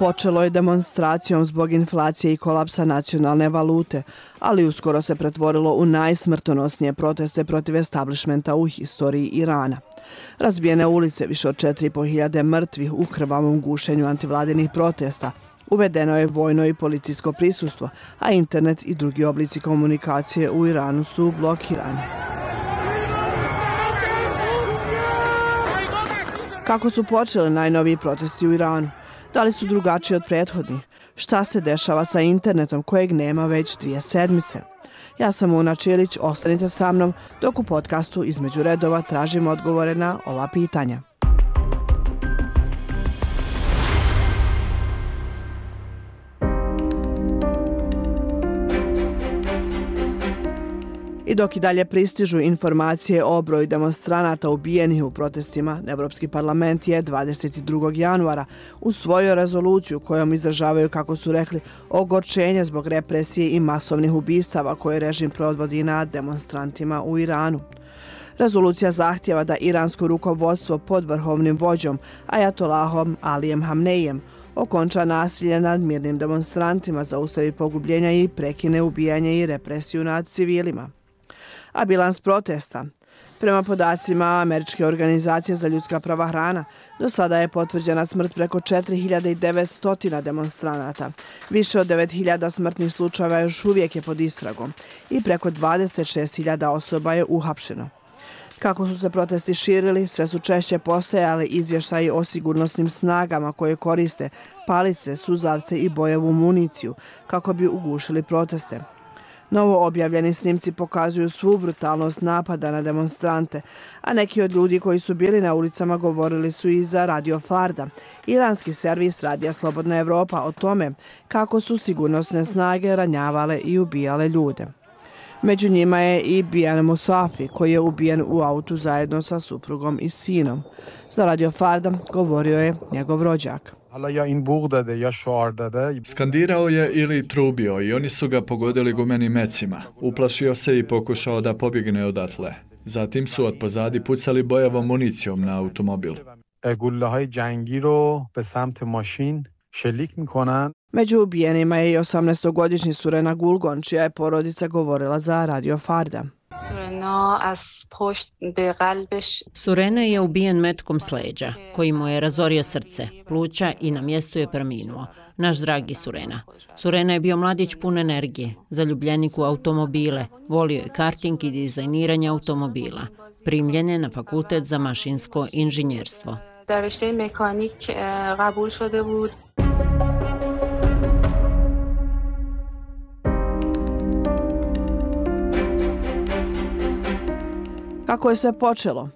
Počelo je demonstracijom zbog inflacije i kolapsa nacionalne valute, ali uskoro se pretvorilo u najsmrtonosnije proteste protiv establishmenta u historiji Irana. Razbijene ulice, više od 4.500 mrtvih u krvavom gušenju antivladinih protesta, uvedeno je vojno i policijsko prisustvo, a internet i drugi oblici komunikacije u Iranu su blokirani. Kako su počeli najnoviji protesti u Iranu? Da li su drugačiji od prethodnih? Šta se dešava sa internetom kojeg nema već 2 sedmice? Ja sam Una Čilić, ostanite sa mnom dok u podcastu Između redova tražimo odgovore na ova pitanja. I dok i dalje pristižu informacije o broju demonstranata ubijenih u protestima, Evropski parlament je 22. januara usvojio rezoluciju kojom izražavaju, kako su rekli, ogorčenje zbog represije i masovnih ubistava koje režim provodi nad demonstrantima u Iranu. Rezolucija zahtjeva da iransko rukovodstvo pod vrhovnim vođom Ajatolahom Alijem Hamneijem okonča nasilje nad mirnim demonstrantima, zaustavi pogubljenja i prekine ubijanje i represiju nad civilima. A bilans protesta? Prema podacima Američke organizacije za ljudska prava hrana, do sada je potvrđena smrt preko 4.900 demonstranata. Više od 9.000 smrtnih slučajeva još uvijek je pod istragom i preko 26.000 osoba je uhapšeno. Kako su se protesti širili, sve su češće postojali izvještaji o sigurnosnim snagama koje koriste palice, suzavce i bojevu municiju kako bi ugušili proteste. Novo objavljeni snimci pokazuju svu brutalnost napada na demonstrante, a neki od ljudi koji su bili na ulicama govorili su i za Radio Farda, iranski servis Radija Slobodna Evropa, o tome kako su sigurnosne snage ranjavale i ubijale ljude. Među njima je i Bijan Musafi, koji je ubijen u autu zajedno sa suprugom i sinom. Za Radio Farda govorio je njegov rođak. Skandirao je ili trubio i oni su ga pogodili gumenim mecima. Uplašio se i pokušao da pobjegne odatle. Zatim su od pozadi pucali bojevom municijom na automobil. Među ubijenima je i 18-godišnji Surena Gulgon, čija je porodica govorila za Radio Farda. Surena je ubijen metkom s leđa, koji mu je razorio srce, pluća i na mjestu je preminuo. Naš dragi Surena. Surena je bio mladić pun energije, zaljubljenik u automobile, volio je karting i dizajniranje automobila. Primljen je na fakultet za mašinsko inženjerstvo. Kako je sve počelo?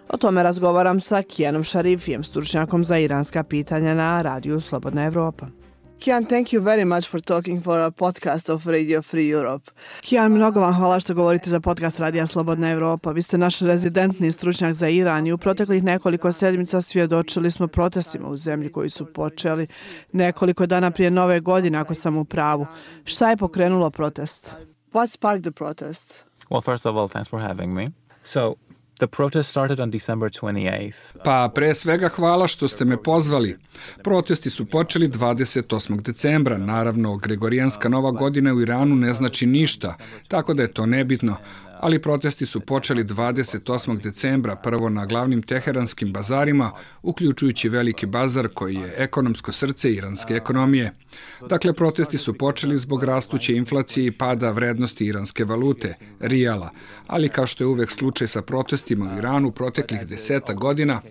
O tome razgovaram sa Kijanom Šarifijem, stručnjakom za iranska pitanja na Radiju Slobodna Evropa. Kijan, thank you very much for talking for a podcast of Radio Free Europe. Kijan, mnogo vam hvala što govorite za podcast Radija Slobodna Evropa. Vi ste naš rezidentni stručnjak za Iran i u proteklih nekoliko sedmica svjedočili smo protestima u zemlji koji su počeli nekoliko dana prije Nove godine, ako sam u pravu. Šta je pokrenulo protest? What sparked the protest? Well, first of all, thanks for having me. So, the protest started on December 28th. Pa pre svega hvala što ste me pozvali. Protesti su počeli 28. decembra. Naravno, Gregorijanska nova godina u Iranu ne znači ništa, tako da je to nebitno. Ali protesti su počeli 28. decembra, prvo na glavnim teheranskim bazarima, uključujući veliki bazar koji je ekonomsko srce iranske ekonomije. Dakle, protesti su počeli zbog rastuće inflacije i pada vrednosti iranske valute, rijala. Ali kao što je uvek slučaj sa protestima u Iranu proteklih 10 godina,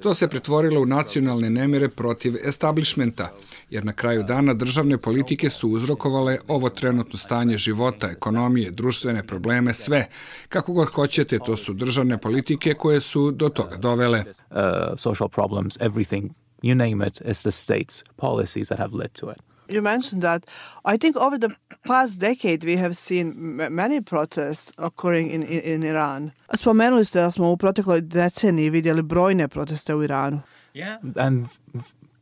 to se pretvorilo u nacionalne nemire protiv establishmenta, jer na kraju dana državne politike su uzrokovale ovo trenutno stanje života, ekonomije, društvene probleme, sve. Kako god hoćete, to su državne politike koje su do toga dovele. Social problems, everything, you name it, it's the state's policies that have led to it. You mentioned that. I think over the past decade we have seen many protests occurring in Iran. Spomenuli ste da smo u protekloj deceniji vidjeli brojne proteste u Iranu. Yeah, and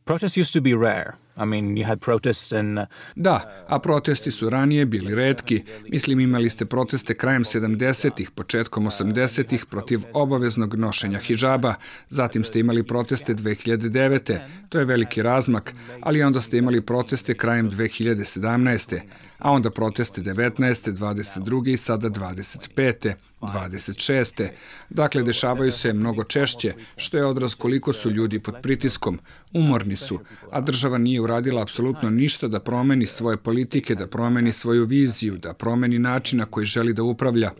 protests used to be rare. I mean, you had protests in... Da, a protesti su ranije bili retki. Mislim, imali ste proteste krajem 70-ih, početkom 80-ih protiv obaveznog nošenja hidžaba. Zatim ste imali proteste 2009. To je veliki razmak, ali onda ste imali proteste krajem 2017. A onda proteste 19. 22. i sada 25. 26. Dakle, dešavaju se mnogo češće, što je odraz koliko su ljudi pod pritiskom, umorni su, a država nije uradila apsolutno ništa da promeni svoje politike, da promeni svoju viziju, da promeni način na koji želi da upravlja.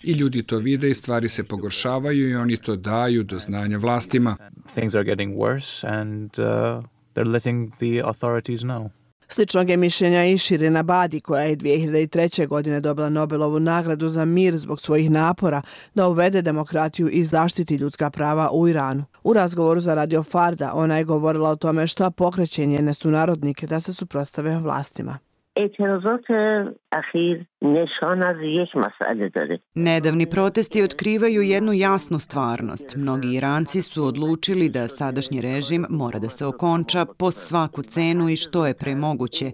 I ljudi to vide i stvari se pogoršavaju i oni to daju do znanja vlastima. Things are getting worse and they're letting the authorities know. Sličnog je mišljenja i Shirin Ebadi, koja je 2003. godine dobila Nobelovu nagradu za mir zbog svojih napora da uvede demokratiju i zaštiti ljudska prava u Iranu. U razgovoru za Radio Farda ona je govorila o tome šta pokreće njene sunarodnike da se suprotstave vlastima. Nedavni protesti otkrivaju jednu jasnu stvarnost. Mnogi Iranci su odlučili da sadašnji režim mora da se okonča po svaku cenu i što je pre moguće,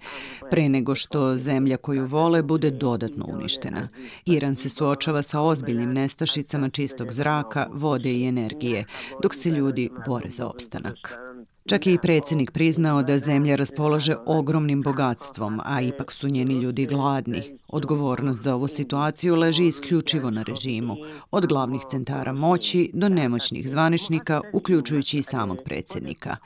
pre nego što zemlja koju vole bude dodatno uništena. Iran se suočava sa ozbiljnim nestašicama čistog zraka, vode i energije, dok se ljudi bore za opstanak. Čak je i predsjednik priznao da zemlja raspolaže ogromnim bogatstvom, a ipak su njeni ljudi gladni. Odgovornost za ovu situaciju leži isključivo na režimu, od glavnih centara moći do nemoćnih zvaničnika, uključujući i samog predsjednika.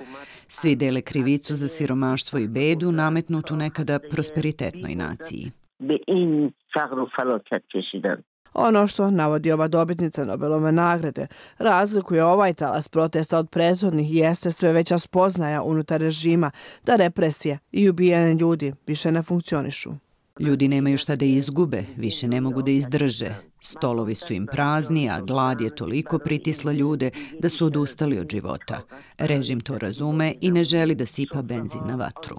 Svi dele krivicu za siromaštvo i bedu nametnutu nekada prosperitetnoj naciji. Ono što navodi ova dobitnica Nobelove nagrade razlikuje ovaj talas protesta od prethodnih jeste sve veća spoznaja unutar režima da represije i ubijanje ljudi više ne funkcionišu. Ljudi nemaju šta da izgube, više ne mogu da izdrže. Stolovi su im prazni, a glad je toliko pritisla ljude da su odustali od života. Režim to razume i ne želi da sipa benzin na vatru.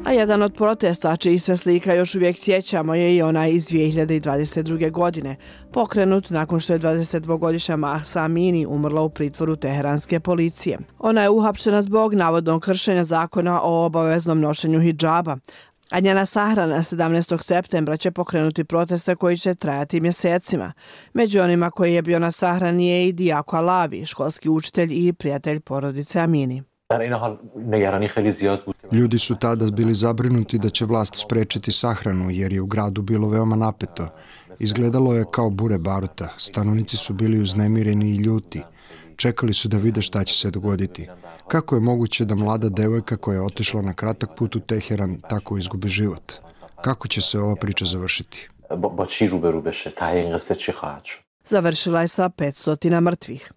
A jedan od protesta, čiji se slika još uvijek sjećamo, je i onaj iz 2022. godine, pokrenut nakon što je 22-godišnja Mahsa Amini umrla u pritvoru teheranske policije. Ona je uhapšena zbog navodnog kršenja zakona o obaveznom nošenju hidžaba, a njena sahrana 17. septembra će pokrenuti proteste koji će trajati mjesecima. Među onima koji je bio na sahrani je i Diako Alavi, školski učitelj i prijatelj porodice Amini. Ljudi su tada bili zabrinuti da će vlast sprečiti sahranu jer je u gradu bilo veoma napeto. Izgledalo je kao bure baruta. Stanovnici su bili uznemireni i ljuti. Čekali su da vide šta će se dogoditi. Kako je moguće da mlada devojka koja je otišla na kratak put u Teheran tako izgubi život? Kako će se ova priča završiti? Završila je sa 500 mrtvih.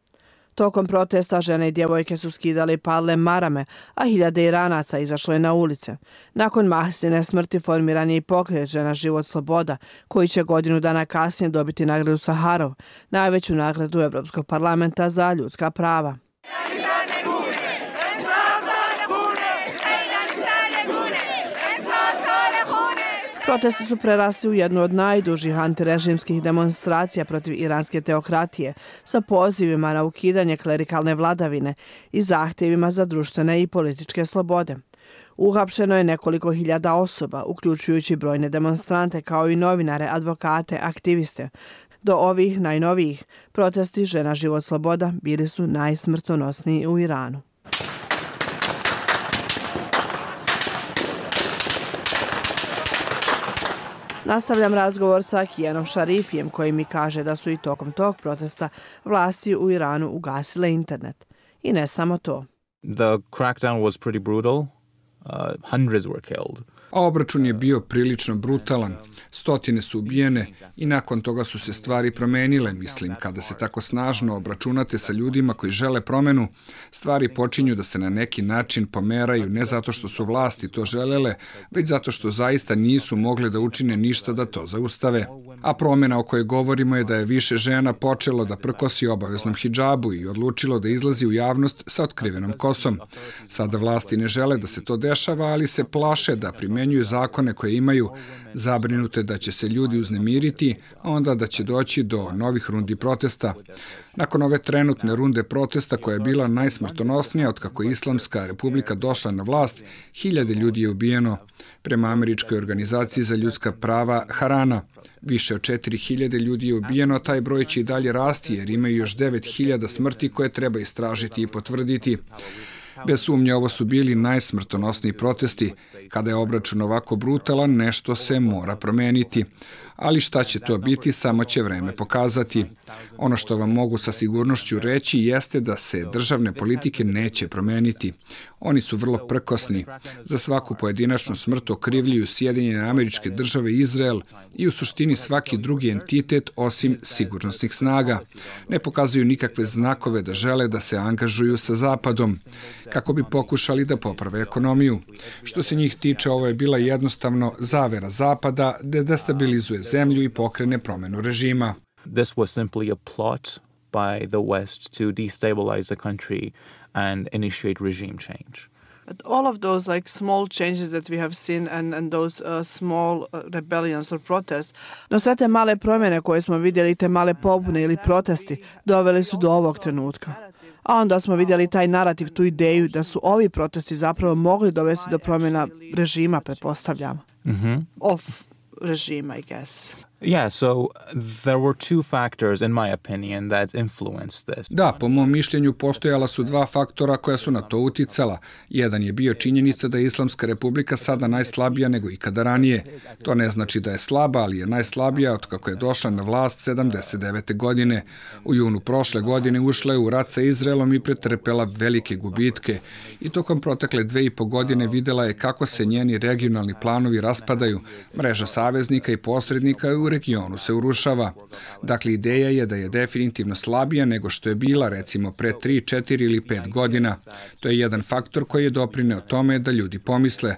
Tokom protesta žene i djevojke su skidale i palile marame, a hiljade Iranaca izašlo je na ulice. Nakon Mahsine smrti formiran je i pokret Žena, život, sloboda, koji će godinu dana kasnije dobiti nagradu Saharov, najveću nagradu Evropskog parlamenta za ljudska prava. Protesti su prerasli u jednu od najdužih antirežimskih demonstracija protiv iranske teokratije sa pozivima na ukidanje klerikalne vladavine i zahtjevima za društvene i političke slobode. Uhapšeno je nekoliko hiljada osoba, uključujući brojne demonstrante kao i novinare, advokate, aktiviste. Do ovih najnovijih protesti Žena, život, sloboda bili su najsmrtonosniji u Iranu. Nastavljam razgovor sa Kijanom Šarifijem koji mi kaže da su i tokom tog protesta vlasti u Iranu ugasile internet. I ne samo to. The crackdown was pretty brutal. Hundreds were killed. A obračun je bio prilično brutalan. Stotine su ubijene i nakon toga su se stvari promenile. Mislim, kada se tako snažno obračunate sa ljudima koji žele promenu, stvari počinju da se na neki način pomeraju, ne zato što su vlasti to želele, već zato što zaista nisu mogle da učine ništa da to zaustave. A promjena o kojoj govorimo je da je više žena počelo da prkosi obaveznom hidžabu i odlučilo da izlazi u javnost sa otkrivenom kosom. Sada vlasti ne žele da se to dešava, ali se plaše da primenjuju zakone koje imaju, zabrinute da će se ljudi uznemiriti, a onda da će doći do novih rundi protesta. Nakon ove trenutne runde protesta, koja je bila najsmrtonosnija otkako je Islamska republika došla na vlast, 1000 ljudi je ubijeno. Prema Američkoj organizaciji za ljudska prava Harana, više od 4000 ljudi je ubijeno, a taj broj će i dalje rasti jer imaju još 9000 smrti koje treba istražiti i potvrditi. Bez sumnje, ovo su bili najsmrtonosniji protesti. Kada je obračun ovako brutalan, nešto se mora promeniti. Ali šta će to biti, samo će vreme pokazati. Ono što vam mogu sa sigurnošću reći jeste da se državne politike neće promeniti. Oni su vrlo prkosni. Za svaku pojedinačnu smrt okrivljuju Sjedinjene Američke Države i Izrael i u suštini svaki drugi entitet osim sigurnosnih snaga. Ne pokazuju nikakve znakove da žele da se angažuju sa Zapadom, kako bi pokušali da poprave ekonomiju. Što se njih tiče, ovo je bila jednostavno zavera Zapada da destabilizuje zemlju i pokrene promenu režima. This was simply a plot by the West to destabilize the country and initiate regime change. But all of those like small changes that we have seen and those small rebellions or protests, no sve te male promjene koje smo vidjeli, te male pobune ili protesti, doveli su do ovog trenutka. A onda smo vidjeli taj narativ, tu ideju da su ovi protesti zapravo mogli dovesti do promjena režima, pretpostavljam. Of regime, I guess. Yeah, so there were two factors, in my opinion, that influenced this. Da, po mom mišljenju postojala su dva faktora koja su na to uticala. Jedan je bio činjenica da je Islamska republika sada najslabija nego ikada ranije. To ne znači da je slaba, ali je najslabija od kako je došla na vlast 79. godine. U junu prošle godine ušla je u rat sa Izraelom i pretrpela velike gubitke. I tokom protekle 2,5 godine videla je kako se njeni regionalni planovi raspadaju. Mreža saveznika i posrednika u regionu se urušava. Dakle, ideja je da je definitivno slabija nego što je bila, recimo, pre 3, 4 ili 5 godina. To je jedan faktor koji je doprineo tome da ljudi pomisle: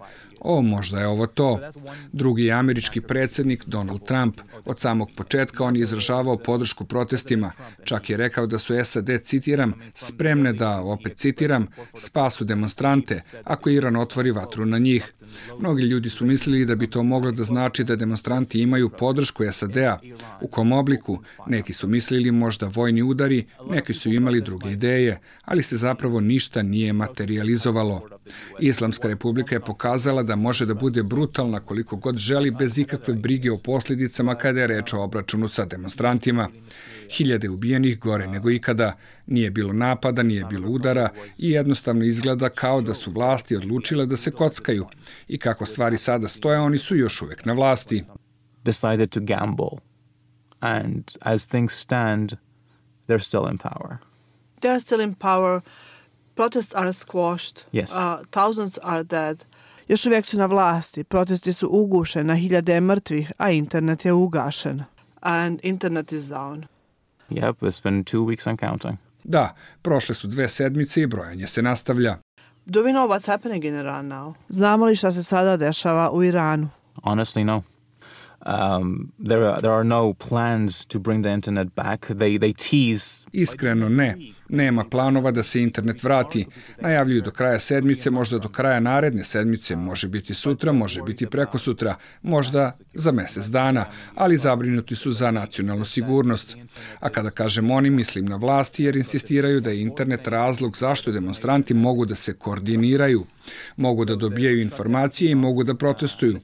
možda je ovo to. Drugi je američki predsjednik Donald Trump. Od samog početka on je izražavao podršku protestima. Čak je rekao da su SAD, citiram, spremne da, opet citiram, spasu demonstrante ako Iran otvori vatru na njih. Mnogi ljudi su mislili da bi to moglo da znači da demonstranti imaju podršku SAD-a. U kom obliku? Neki su mislili možda vojni udari, neki su imali druge ideje, ali se zapravo ništa nije materializovalo. Islamska republika je pokazala da može da bude brutalna koliko god želi, bez ikakve brige o posljedicama kada je reč o obračunu sa demonstrantima. 1000 ubijenih, gore nego ikada. Nije bilo napada, nije bilo udara i jednostavno izgleda kao da su vlasti odlučile da se kockaju. I kako stvari sada stoje, oni su još uvijek na vlasti. Decided to gamble. And as things stand, they're still in power. They're still in power. Protests are squashed. Yes. Thousands are dead. Još uvijek su na vlasti, protesti su ugušeni, na 1000 mrtvih, a internet je ugašen. And internet is down. Yep, it's been 2 weeks and counting. Da, prošle su 2 sedmice i brojanje se nastavlja. Do we know what's happening in Iran now? Znamo li šta se sada dešava u Iranu? Honestly, no. There are no plans to bring the internet back. They tease. Iskreno ne. Nema planova da se internet vrati. Najavljuju do kraja sedmice, možda do kraja naredne sedmice, može biti sutra, može biti prekosutra, možda za mjesec dana, ali zabrinuti su za nacionalnu sigurnost. A kada kažem oni, mislim na vlasti jer insistiraju da je internet razlog zašto demonstranti mogu da se koordiniraju, mogu da dobijaju informacije i mogu da protestuju.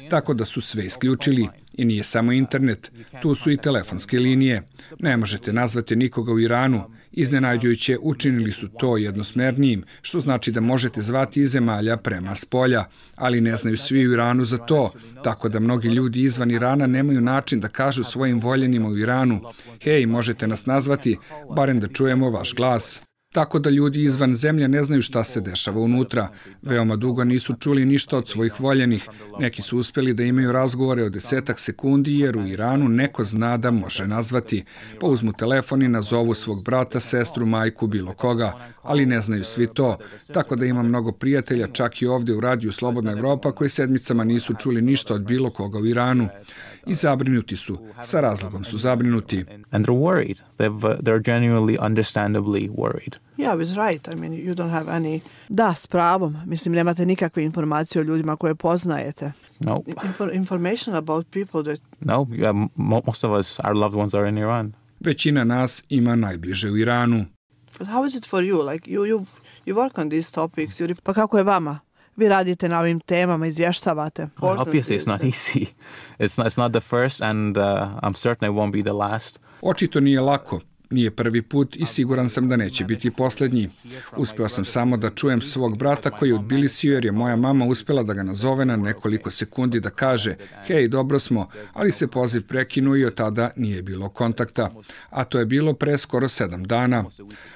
Tako da su sve isključili. I nije samo internet, tu su i telefonske linije. Ne možete nazvati nikoga u Iranu. Iznenađujuće, učinili su to jednosmernijim, što znači da možete zvati iz zemalja prema spolja, ali ne znaju svi u Iranu za to, tako da mnogi ljudi izvan Irana nemaju način da kažu svojim voljenima u Iranu: hej, možete nas nazvati, barem da čujemo vaš glas. tako da ljudi izvan zemlje ne znaju šta se dešava unutra. Veoma dugo nisu čuli ništa od svojih voljenih. Neki su uspjeli da imaju razgovore od 10 sekundi jer u Iranu neko zna da može nazvati. Pa uzmu telefon i nazovu svog brata, sestru, majku, bilo koga, ali ne znaju svi to. Tako da ima mnogo prijatelja, čak i ovdje u radiju Slobodna Evropa, koji sedmicama nisu čuli ništa od bilo koga u Iranu. I zabrinuti su, sa razlogom su zabrinuti. And they're worried. They're genuinely, understandably worried. Yeah, it's right. I mean, you don't have any... Da, s pravom. Mislim, nemate nikakve informacije o ljudima koje poznajete. No. Information about people that... No, most of us, our loved ones are in Iran. Većina nas ima najbliže u Iranu. But how is it for you? Like, you work on these topics. Pa kako je vama? Vi radite na ovim temama, izvještavate. Obviously, it's not easy. It's not the first and I'm certain it won't be the last. Očito nije lako. Nije prvi put i siguran sam da neće biti posljednji. Uspeo sam samo da čujem svog brata koji je u Tbilisiju jer je moja mama uspjela da ga nazove na nekoliko sekundi da kaže hej, dobro smo, ali se poziv prekinuo i od tada nije bilo kontakta. A to je bilo pre skoro 7 dana.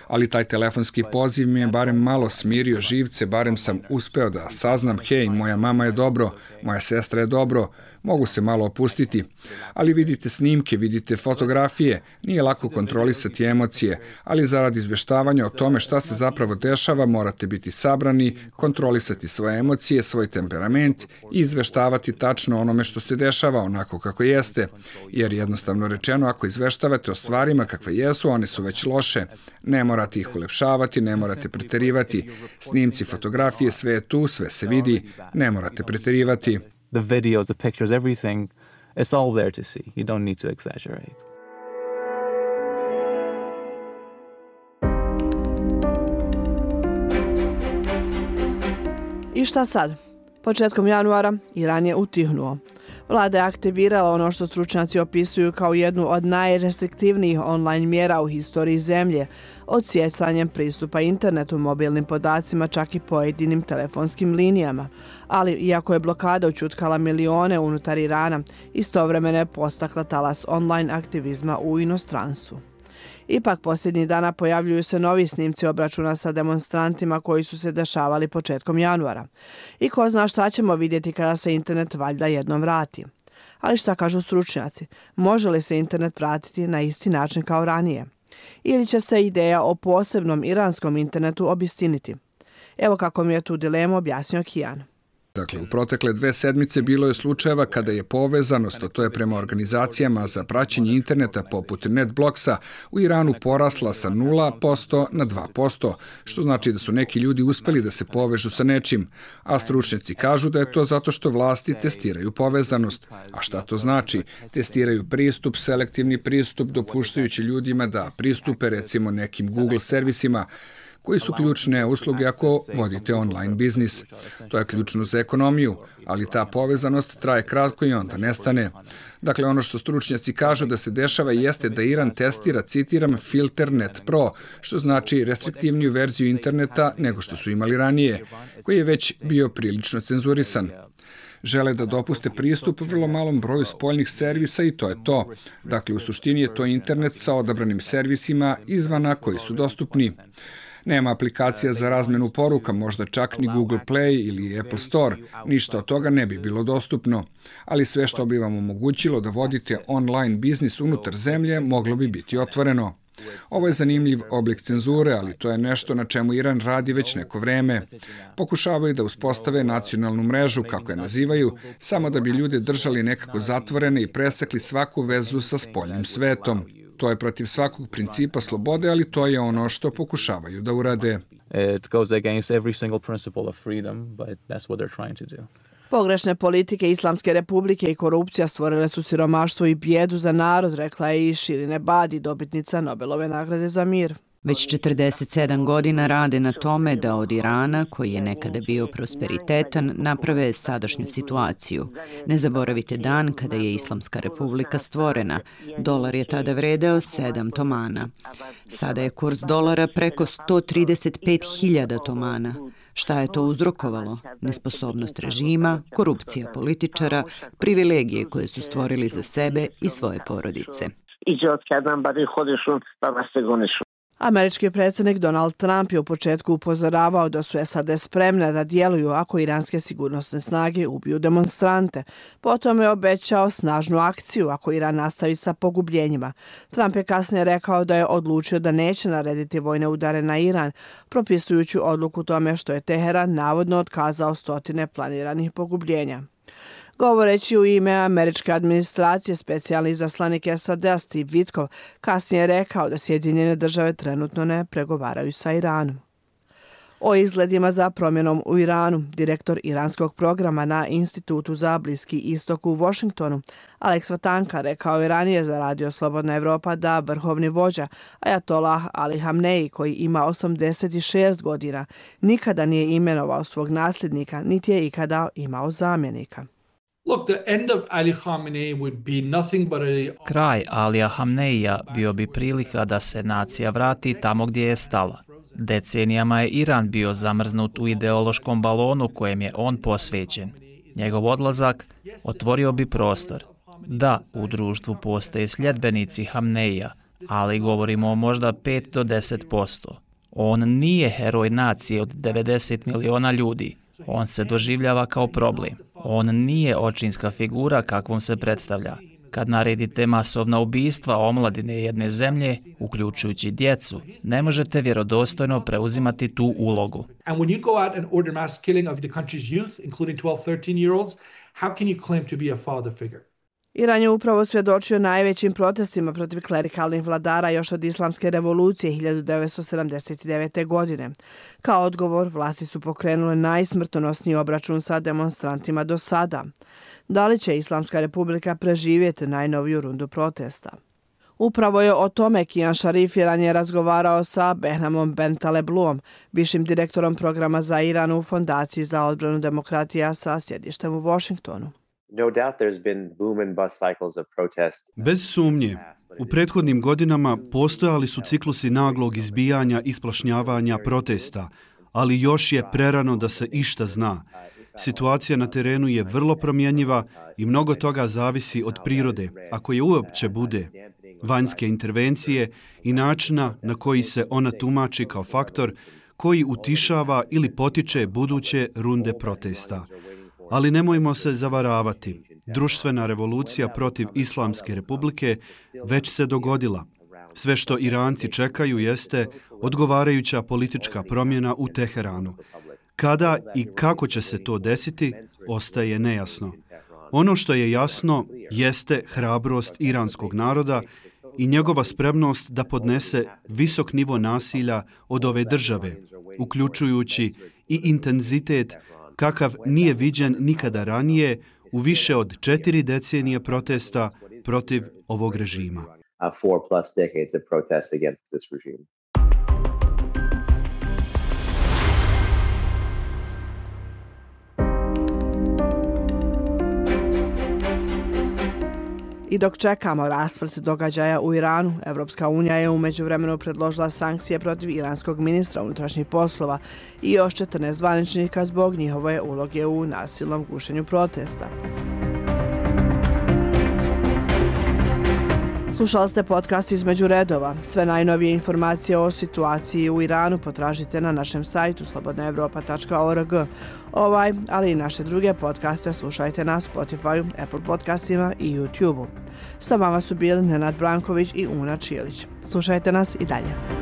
Ali taj telefonski poziv mi je barem malo smirio živce, barem sam uspeo da saznam hej, moja mama je dobro, moja sestra je dobro, mogu se malo opustiti. Ali vidite snimke, vidite fotografije, nije lako kontrolisati emocije, ali zarad izveštavanja o tome šta se zapravo dešava morate biti sabrani, kontrolisati svoje emocije, svoj temperament i izveštavati tačno onome što se dešava onako kako jeste. Jer jednostavno rečeno, ako izveštavate o stvarima kakve jesu, one su već loše. Ne morate ih ulepšavati, ne morate preterivati. Snimci, fotografije, sve je tu, sve se vidi, ne morate preterivati. The videos, the pictures, everything, it's all there to see. You don't need to exaggerate. I šta sad? Početkom januara Iran je utihnuo. Vlada je aktivirala ono što stručnjaci opisuju kao jednu od najrestriktivnijih online mjera u historiji zemlje, odsjecanjem pristupa internetu, mobilnim podacima, čak i pojedinim telefonskim linijama. Ali, iako je blokada ućutkala milione unutar Irana, istovremeno je postakla talas online aktivizma u inostranstvu. Ipak, posljednjih dana pojavljuju se novi snimci obračuna sa demonstrantima koji su se dešavali početkom januara. I ko zna šta ćemo vidjeti kada se internet valjda jednom vrati. Ali šta kažu stručnjaci? Može li se internet vratiti na isti način kao ranije? Ili će se ideja o posebnom iranskom internetu obistiniti? Evo kako mi je tu dilemu objasnio Kijan. Dakle, u protekle 2 sedmice bilo je slučajeva kada je povezanost, a to je prema organizacijama za praćenje interneta poput NetBlocksa, u Iranu porasla sa 0% na 2%, što znači da su neki ljudi uspjeli da se povežu sa nečim, a stručnjaci kažu da je to zato što vlasti testiraju povezanost. A šta to znači? Testiraju pristup, selektivni pristup, dopuštajući ljudima da pristupe recimo nekim Google servisima, koji su ključne usluge ako vodite online biznis. To je ključno za ekonomiju, ali ta povezanost traje kratko i onda nestane. Dakle, ono što stručnjaci kažu da se dešava jeste da Iran testira, citiram, filter Net Pro, što znači restriktivniju verziju interneta nego što su imali ranije, koji je već bio prilično cenzurisan. Žele da dopuste pristup vrlo malom broju spoljnih servisa i to je to. Dakle, u suštini je to internet sa odabranim servisima izvana koji su dostupni. Nema aplikacija za razmenu poruka, možda čak ni Google Play ili Apple Store. Ništa od toga ne bi bilo dostupno. Ali sve što bi vam omogućilo da vodite online biznis unutar zemlje moglo bi biti otvoreno. Ovo je zanimljiv oblik cenzure, ali to je nešto na čemu Iran radi već neko vreme. Pokušavaju da uspostave nacionalnu mrežu, kako je nazivaju, samo da bi ljude držali nekako zatvorene i presekli svaku vezu sa spoljnim svetom. To je protiv svakog principa slobode, ali to je ono što pokušavaju da urade. It goes against every single principle of freedom, but that's what they're trying to do. Pogrešne politike Islamske republike i korupcija stvorile su siromaštvo i bijedu za narod, rekla je i Shirin Ebadi, dobitnica Nobelove nagrade za mir. Već 47 godina rade na tome da od Irana, koji je nekada bio prosperitetan, naprave sadašnju situaciju. Ne zaboravite dan kada je Islamska republika stvorena. Dolar je tada vredeo 7 tomana. Sada je kurs dolara preko 135.000 tomana. Šta je to uzrokovalo? Nesposobnost režima, korupcija političara, privilegije koje su stvorili za sebe i svoje porodice. Američki predsjednik Donald Trump je u početku upozoravao da su SAD spremne da djeluju ako iranske sigurnosne snage ubiju demonstrante. Potom je obećao snažnu akciju ako Iran nastavi sa pogubljenjima. Trump je kasnije rekao da je odlučio da neće narediti vojne udare na Iran, propisujući odluku tome što je Teheran navodno otkazao stotine planiranih pogubljenja. Govoreći u ime američke administracije, specijalni izaslanik SAD-a Steve Witkoff kasnije je rekao da Sjedinjene države trenutno ne pregovaraju sa Iranom. O izgledima za promjenom u Iranu, direktor iranskog programa na Institutu za Bliski istok u Washingtonu, Alex Vatanka, rekao je ranije za Radio Slobodna Evropa da vrhovni vođa Ajatolah Ali Hamneji, koji ima 86 godina, nikada nije imenovao svog nasljednika, niti je ikada imao zamjenika. Kraj Alija Hamneija bio bi prilika da se nacija vrati tamo gdje je stala. Decenijama je Iran bio zamrznut u ideološkom balonu kojem je on posvećen. Njegov odlazak otvorio bi prostor. Da, u društvu postoje sljedbenici Hamneija, ali govorimo o možda 5 do 10%. On nije heroj nacije od 90 miliona ljudi. On se doživljava kao problem. On nije očinska figura kakvom se predstavlja. Kad naredite masovna ubistva omladine jedne zemlje, uključujući djecu, ne možete vjerodostojno preuzimati tu ulogu. Iran je upravo svjedočio najvećim protestima protiv klerikalnih vladara još od islamske revolucije 1979. godine. Kao odgovor, vlasti su pokrenule najsmrtonosniji obračun sa demonstrantima do sada. Da li će Islamska republika preživjeti najnoviju rundu protesta? Upravo je o tome Kian Sharif ranije razgovarao sa Behnamom Bentalebluom, višim direktorom programa za Iran u Fondaciji za odbranu demokratija sa sjedištem u Washingtonu. Bez sumnje, u prethodnim godinama postojali su ciklusi naglog izbijanja i splašnjavanja protesta, ali još je prerano da se išta zna. Situacija na terenu je vrlo promjenjiva i mnogo toga zavisi od prirode, ako je uopće bude, vanjske intervencije i načina na koji se ona tumači kao faktor koji utišava ili potiče buduće runde protesta. Ali nemojmo se zavaravati. Društvena revolucija protiv Islamske republike već se dogodila. Sve što Iranci čekaju jeste odgovarajuća politička promjena u Teheranu. Kada i kako će se to desiti, ostaje nejasno. Ono što je jasno jeste hrabrost iranskog naroda i njegova spremnost da podnese visok nivo nasilja od ove države, uključujući i intenzitet kakav nije viđen nikada ranije u više od 4 decenije protesta protiv ovog režima. I dok čekamo rasplet događaja u Iranu, Evropska unija je u međuvremenu predložila sankcije protiv iranskog ministra unutrašnjih poslova i još 14 zvaničnika zbog njihove uloge u nasilnom gušenju protesta. Slušali ste podcast Između redova. Sve najnovije informacije o situaciji u Iranu potražite na našem sajtu slobodnaevropa.org. Ovaj, ali i naše druge podcaste slušajte na Spotify, Apple podcastima i YouTube-u. Sa vama su bili Nenad Branković i Una Čilić. Slušajte nas i dalje.